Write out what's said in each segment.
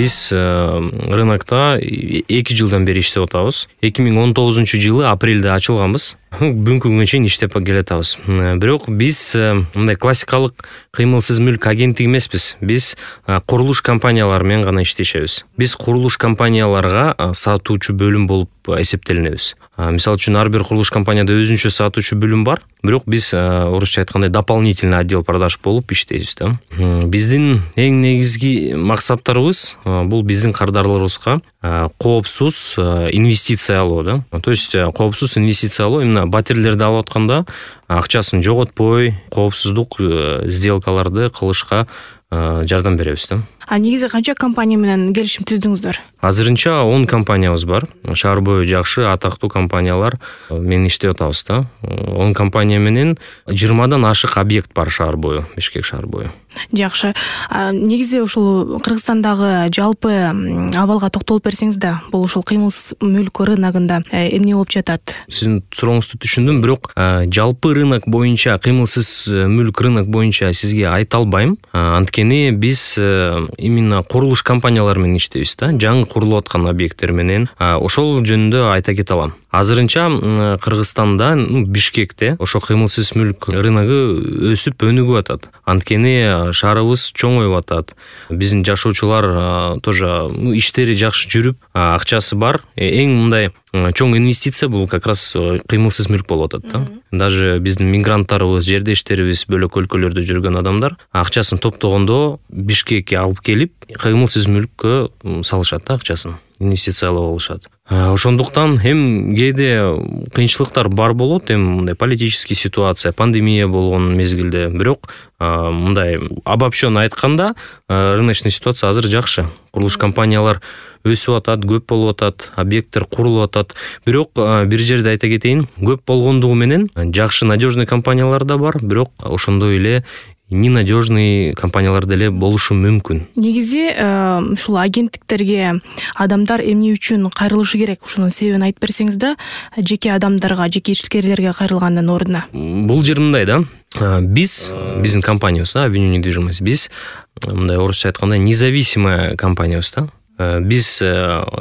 биз рынокто 2 жылдан бери иштеп атабыз. 2019-жылы апрелде ачылганбыз. Бүгүнкү күнгө чейин иштеп келатабыз. Бирок биз мындай классикалык кыймылсыз мүлк агенттиги эмеспиз. Биз курулуш компаниялары менен гана иштешебиз. Биз курулуш компанияларга сатуучу бөлүм болуп эсептелинебиз. Мисалы үчүн ар бир курулуш компанияда өзүнчө сатуучу бөлүм бар. Бирок биз орусча айткандай дополнительный отдел продаж болуп иштейбиз да. Биздин эң негизги максаттарыбыз бул биздин кардарларыбызга коопсуз инвестиция алуу да. То есть коопсуз инвестиция алуу именно батирлерди алып атканда акчасын жоготпой, коопсуздук сделкаларды кылышка жардам беребиз да. Негизи канча компания менен келишим түздүңүздөр? Азырынча 10 компаниябыз бар. Шаар бою жакшы, атактуу компаниялар менен иштеп атабыз да. 10 компания менен 20дан ашык объект бар шаар бою, Бишкек шаар бою. Жакшы. Негизи ушул Кыргызстандагы жалпы абалга токтолуп берсеңиз да, бул ушул кыймылсыз мүлк рыногунда эмне болуп жатат? Сиздин сурооңузду түшүндүм, бирок жалпы рынок боюнча, кыймылсыз мүлк рынок боюнча сизге айта албайм. Анткени биз именно курулуш компаниялары менен иштейбиз да, жаңы курулуп аткан объекттер менен. Ошол жөнүндө айта кете алам. Азырынча Кыргызстанда, Бишкекте ошо кыймылсыз мүлк рыногу өсүп өнүгүп атат. Анткени шаарыбыз чоңоюп атат. Биздин жашоочулар тоже иштери жакшы жүрүп, акчасы бар. Эң мындай чоң инвестиция бул как раз кыймылсыз мүлк болуп атат да. Даже биздин мигранттарыбыз, жердештерибиз, бөлөк өлкөлөрдө жүргөн адамдар акчасын топтогондо Бишкекке алып келип, кыймылсыз мүлккө салышат да акчасын. Инвестициялап алышат. Ошондуктан кээде кыйынчылыктар бар болот, мындай политический ситуация, пандемия болгон мезгилде. Бирок мындай обобщенно айтканда, рыночный ситуация азыр жакшы. Курулуш компаниялар өсүп атат, көп болуп атат, объекттер курулуп атат. Бирок бир жерде айта кетейин, көп болгондугу менен жакшы надежный компаниялар да бар, бирок ошондой эле ненадежный компаниялар деле болушу мүмкүн. Негизи ушул агенттиктерге адамдар эмне үчүн кайрылышы керек? Ушунун себебин айтып берсеңиз да, жеке адамдарга, жеке ишкерлерге кайрылгандын ордуна. Бул жер мындай да. Биздин компаниябыз, Avenue недвижимость, биз мындай орусча айтканда независимая компаниябыз да. Биз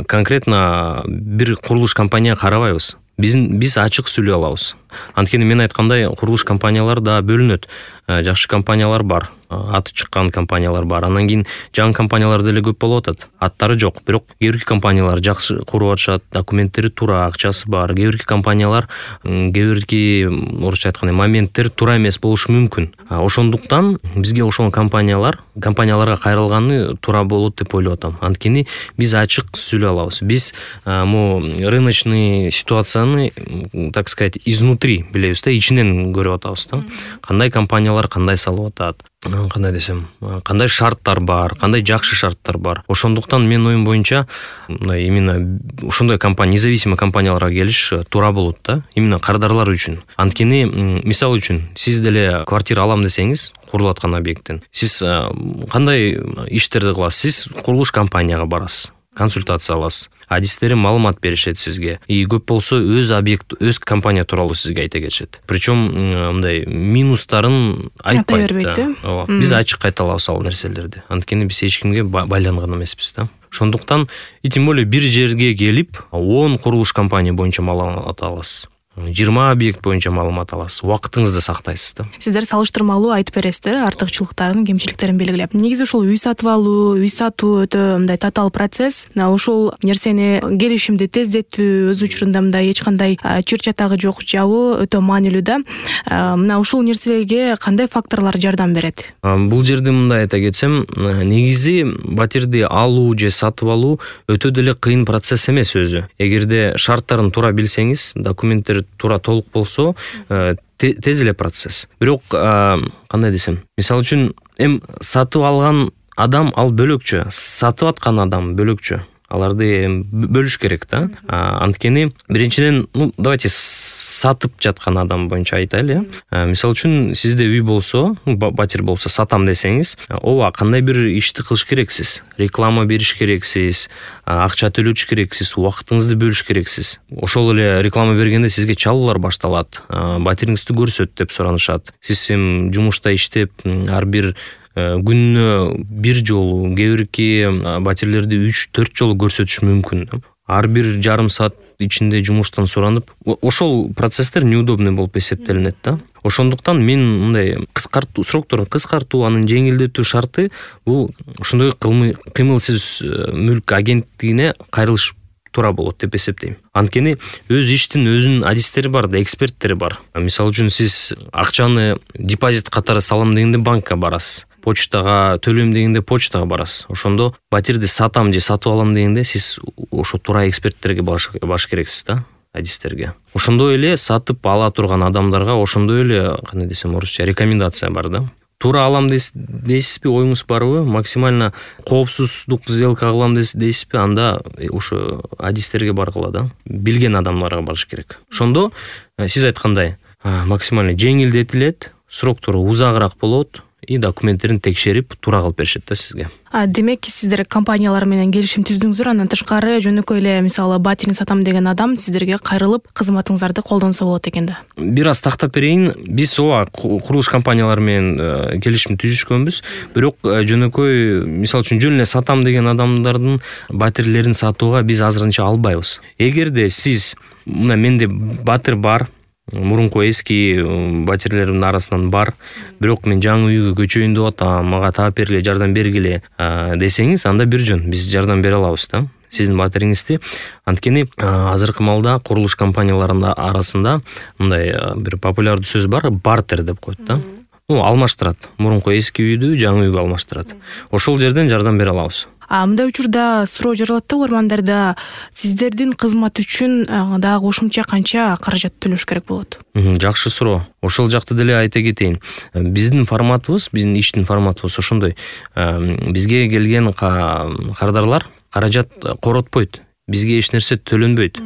конкретно бир курулуш компанияга карабайбыз. Биз ачык сүйлөй алабыз. Анткени мен айткандай, курулуш компаниялар да бөлүнөт. Жакшы компаниялар бар, аты чыккан компаниялар бар. Андан кийин жаңы компаниялар деле көп болуп атат. Аттары жок, бирок кээ бирки компаниялар жакшы куруп атышат, документтери туура, акчасы бар. Кээ бирки компаниялар, кээ бирки орусча айтканда моменттер туура эмес болушу мүмкүн. Ошондуктан бизге ошол компанияларга кайрылганы туура болот деп ойлоп атам. Анткени биз ачык сүйлөй алабыз. Биз рыночный ситуацияны, так сказать, изнутри билебиз да, ичинен көрүп атабыз да. Кандай компаниялар кандай салып атат, кандай десем, кандай шарттар бар, кандай жакшы шарттар бар. Ошондуктан мен оюм боюнча именно ошондой независимый компанияларга келиш туура болот да, именно кардарлар үчүн. Анткени мисалы үчүн сиз деле квартира алам десеңиз, курулуп аткан объекттен, сиз кандай иштерди кыласыз? Сиз курулуш компанияга барасыз, консультация аласыз. Адистери маалымат беришет сизге. И көп болсо өз компания тууралуу сизге айта кетишет. Причем мындай минустарын айтпайт да. Биз ачык айта алабыз ал нерселерди. Анткени биз эч кимге байланган эмеспиз да. Ошондуктан тем более бир жерге келип 10 курулуш компания боюнча маалымат аласыз. 20 объект боюнча маалымат аласыз. Убактыңызды сактайсыз да. Сиздер салыштырмалуу айтып бересиздер, артыкчылыктарын, кемчиликтерин белгилеп. Негизи ушул үй сатып алуу, үй сатуу өтө мындай татаал процесс. Ушул нерсени келишимди тездетүү өз учурунда мындай эч кандай чыр чатагы жок жабуу өтө маанилүү да. Мына ушул нерсеге кандай факторлор жардам берет? Бул жерде мындай айта кетсем, негизи батирди алуу же сатып алуу өтө деле кыйын процесс эмес өзү. Эгерде шарттарын туура билсеңиз, документтер туура толук болсо, тез эле процесс. Бирок кандай десем, мисалы үчүн сатып алган адам ал бөлөкчө, сатып аткан адам бөлөкчө. Аларды бөлүш керек да. Анткени биринчиден, давайте сатып жаткан адам боюнча айтайлы. Мисалы үчүн сизде үй болсо, батир болсо, сатам десеңиз, ооба кандай бир ишти кылыш керексиз. Реклама бериш керексиз, акча төлөш керексиз, убактыңызды бөлүш керексиз. Ошол эле реклама бергенде сизге чалуулар башталат. Батириңизди көрсөт деп суранышат. Сиз жумушта иштеп, ар бир күнүнө бир жолу, кээ бирки батирлерди 3-4 жолу көрсөтүш мүмкүн. Ар бир жарым саат ичинде жумуштан суранып, ошол процесстер неудобный болуп эсептелинет да. Ошондуктан мен мындай срокторун кыскартуу, анын жеңилдетүү шарты бул ошондой кыймылсыз мүлк агенттигине кайрылыш туура болот деп эсептейм. Анткени өз иштин өзүнүн адистери бар да, эксперттери бар. Мисалы үчүн сиз акчаны депозит катары салам дегенде банкка барасыз. Почтага төлөйм дегенде почтага барасыз. Ошондо батирди сатам же сатып алам дегенде сиз ошо туура эксперттерге баш керексиз да, адистерге. Ошондой эле сатып ала турган адамдарга ошондой эле, кандай десем орусча, рекомендация бар да. Туура алам дейсизби, оюңуз барбы? Максимально коопсуздук сделка кылам дейсизби? Анда ошо адистерге баргыла да. Билген адамдарга барыш керек. Ошондо сиз айткандай максимально жеңилдетилет, сроктору узагыраак болот и документтерин текшерип туура кылып беришет да сизге. Демек сиздер компаниялар менен келишим түздүңүздөр, андан тышкары жөнөкөй эле мисалы батирин сатам деген адам сиздерге кайрылып кызматыңыздарды колдонсо болот экен да. Бир аз тактап берейин. Биз курулуш компаниялары менен келишим түзүшкөнбүз, бирок жөнөкөй мисалы үчүн жөн эле сатам деген адамдардын батирлерин сатууга биз азырынча албайбыз. Эгерде сиз мына менде батир бар, мурунку эски батирлеримдин арасынан бар, бирок мен жаңы үйгө көчөйүн деп атам, мага таап бергиле, жардам бергиле десеңиз, анда бир жөн биз жардам бере алабыз да сиздин батириңизди. Анткени азыркы малда курулуш компанияларынын арасында мындай бир популярдуу сөз бар, бартер деп коет да. Алмаштырат. Мурунку эски үйдү жаңы үйгө алмаштырат. Ошол жерден жардам бере алабыз. Мындай учурда суроо жаралат да угармандарда, сиздердин кызмат үчүн дагы кошумча канча каражат төлөш керек болот? Жакшы суроо. Ошол жакты деле айта кетейин. Биздин форматыбыз, биздин иштин форматыбыз ошондой. Бизге келген кардарлар каражат коротпойт. Бизге эч нерсе төлөнбөйт.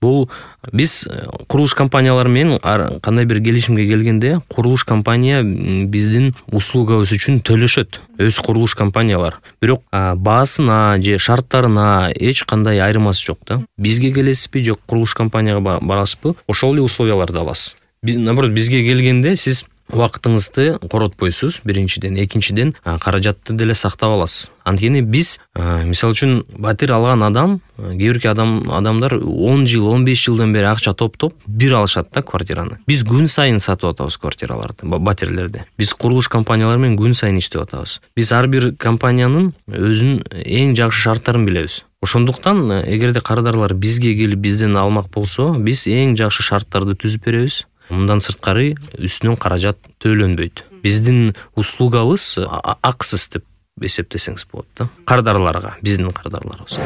Бул биз курулуш компаниялары менен кандай бир келишимге келгенде, курулуш компания биздин услугабыз үчүн төлөшөт. Өз курулуш компаниялар. Бирок баасына же шарттарына эч кандай айырмасы жок да. Бизге келесизби же курулуш компанияга барасызбы, ошол эле условияларды аласыз. Наоборот, бизге келгенде сиз убактыңызды коротпойсуз, биринчиден. Экинчиден, каражатты деле сактап аласыз. Анткени биз, мисалы үчүн, батир алган адам, кээ бирки адамдар 10 жыл, 15 жылдан бери акча топтоп, бир алышат да квартираны. Биз күн сайын сатып атабыз квартираларды, батирлерди. Биз курулуш компаниялары менен күн сайын иштеп атабыз. Биз ар бир компаниянын өзүнүн эң жакшы шарттарын билебиз. Ошондуктан, эгерде кардарлар бизге келип бизден алмак болсо, биз эң жакшы шарттарды түзүп беребиз. Мындан сырткары үстүнөн каражат төлөнбөйт. Биздин услугабыз акысыз деп эсептесеңиз болот да. Кардарларга, биздин кардарларыбыз.